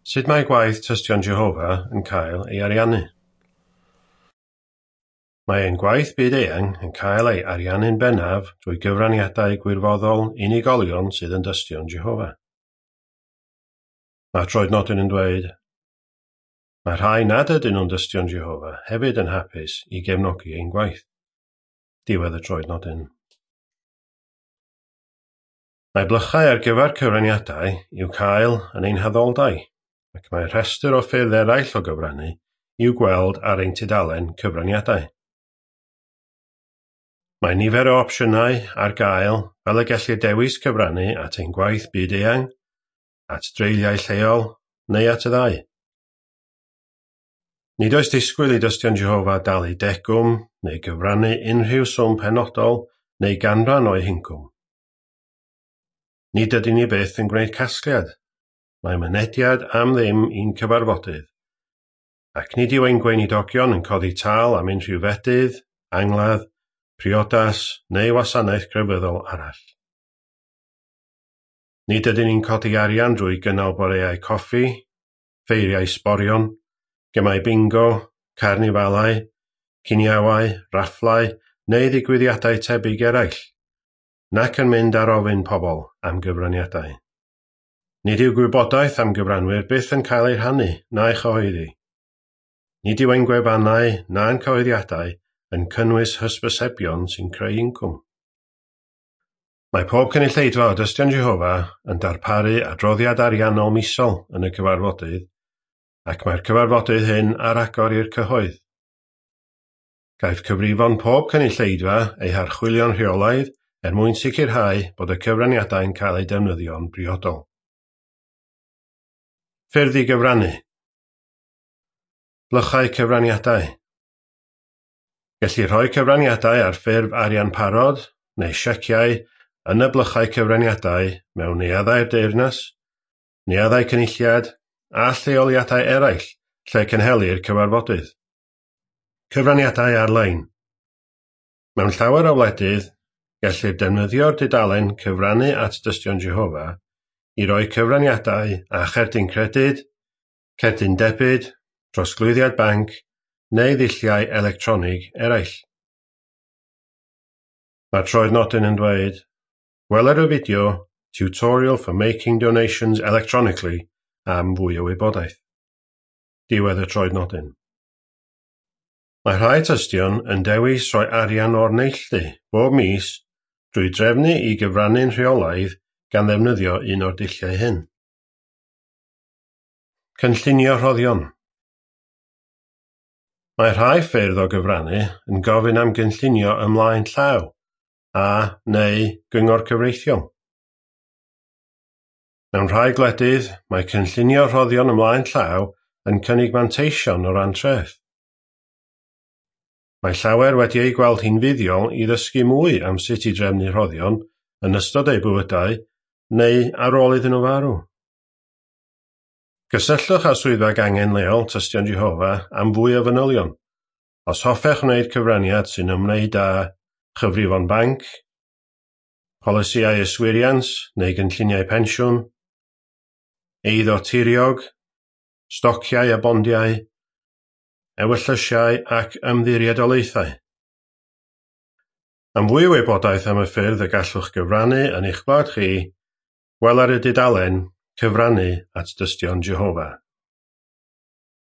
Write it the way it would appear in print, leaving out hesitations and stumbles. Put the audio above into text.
Sut mae gwaith Tystion Jehofa yn cael ei ariannu? Mae ein gwaith byd-eang yn cael ei ariannu'n bennaf drwy gyfraniadau gwirfoddol unigolion sydd yn Dystion Jehofa. Mae troednodyn yn dweud, mae rhai nad ydyn nhw'n Dystion Jehofa hefyd yn hapus i gefnogi ein gwaith. Diwedd y troednodyn. Mae blychau ar gyfer cyfraniadau i'w cael yn ein haddoldai, ac mae rhestr o ffyrdd eraill o gyfrannu i'w gweld ar ein tudalen cyfraniadau. Mae nifer o opsiynau ar gael fel y gellir dewis cyfrannu at ein gwaith byd-eang, at dreuliau lleol, neu at y ddau. Nid oes disgwyl i Dystion Jehofa dalu degwm neu gyfrannu unrhyw swm penodol neu ganran o'u hincwm. Nid ydyn ni byth yn gwneud casgliad. Mae mynediad am ddim i'n cyfarfodydd, ac nid yw ein gweinidogion yn codi tâl am unrhyw fedydd, angladd, priodas neu wasanaeth crefyddol arall. Nid ydyn ni'n codi arian drwy gynnal boreau coffi, ffeiriau sborion, gemau bingo, carnifalau, ciniawau, rafflau neu ddigwyddiadau tebyg eraill, nac yn mynd ar ofyn pobl am gyfraniadau. Nid yw gwybodaeth am gyfranwyr byth yn cael ei rhannu na'i chyhoeddi. Nid yw ein gwefannau na'n cyhoeddiadau yn cynnwys hysbysebion sy'n creu incwm. Mae pob cynulleidfa o Dystion Jehofa yn darparu adroddiad ariannol misol yn y cyfarfodydd, ac mae'r cyfarfodydd hyn ar agor i'r cyhoedd. Caiff cyfrifon pob cynulleidfa eu harchwilio'n rheolaidd er mwyn sicrhau bod y cyfraniadau'n cael eu defnyddio'n briodol. Ffyrdd i gyfrannu. Blychau cyfraniadau. Gellir rhoi cyfraniadau ar ffurf arian parod neu sieciau yn y blychau cyfraniadau mewn neuaddau'r deyrnas, neuaddau cynulliad a lleoliadau eraill lle cynhelir cyfarfodydd. Cyfraniadau ar-lein. Mewn llawer o wledydd, gellir defnyddio'r dudalen cyfrannu at Dystion Jehofa i roi cyfraniadau a cherdyn credyd, cerdyn debyd, trosglwyddiad banc neu ddulliau electronig eraill. Mae'r troednodyn yn dweud, gweler y fideo Tutorial for Making Donations Electronically am fwy o wybodaeth. Diwedd y troednodyn. Mae rhai tystion yn dewis rhoi arian o'r neilltu bob mis drwy drefnu i gyfrannu'n rheolaidd gan ddefnyddio un o'r dulliau hyn. Cynllunio rhoddion. Mae rhai ffyrdd o gyfrannu yn gofyn am gynllunio ymlaen llaw a neu gyngor cyfreithiol. Mewn rhai gwledydd, mae cynllunio rhoddion ymlaen llaw yn cynnig manteision o ran treth. Mae llawer wedi ei gweld hi'n fuddiol i ddysgu mwy am sut i drefnu rhoddion yn ystod eu bywydau neu ar ôl iddyn nhw farw. Cysylltwch â swyddfa gangen leol Tystion Jehofa am fwy o fanylion. Os hoffech wneud cyfraniad sy'n ymwneud â chyfrifon banc, polisïau yswiriant neu gynlluniau pensiwn, eiddo tiriog, stociau a bondiau, ewyllysiau ac ymddiriedolaethau. Am fwy o wybodaeth am y ffyrdd y gallwch gyfrannu yn eich gwlad chi, gweler y dudalen Cyfrannu at Dystion Jehofa.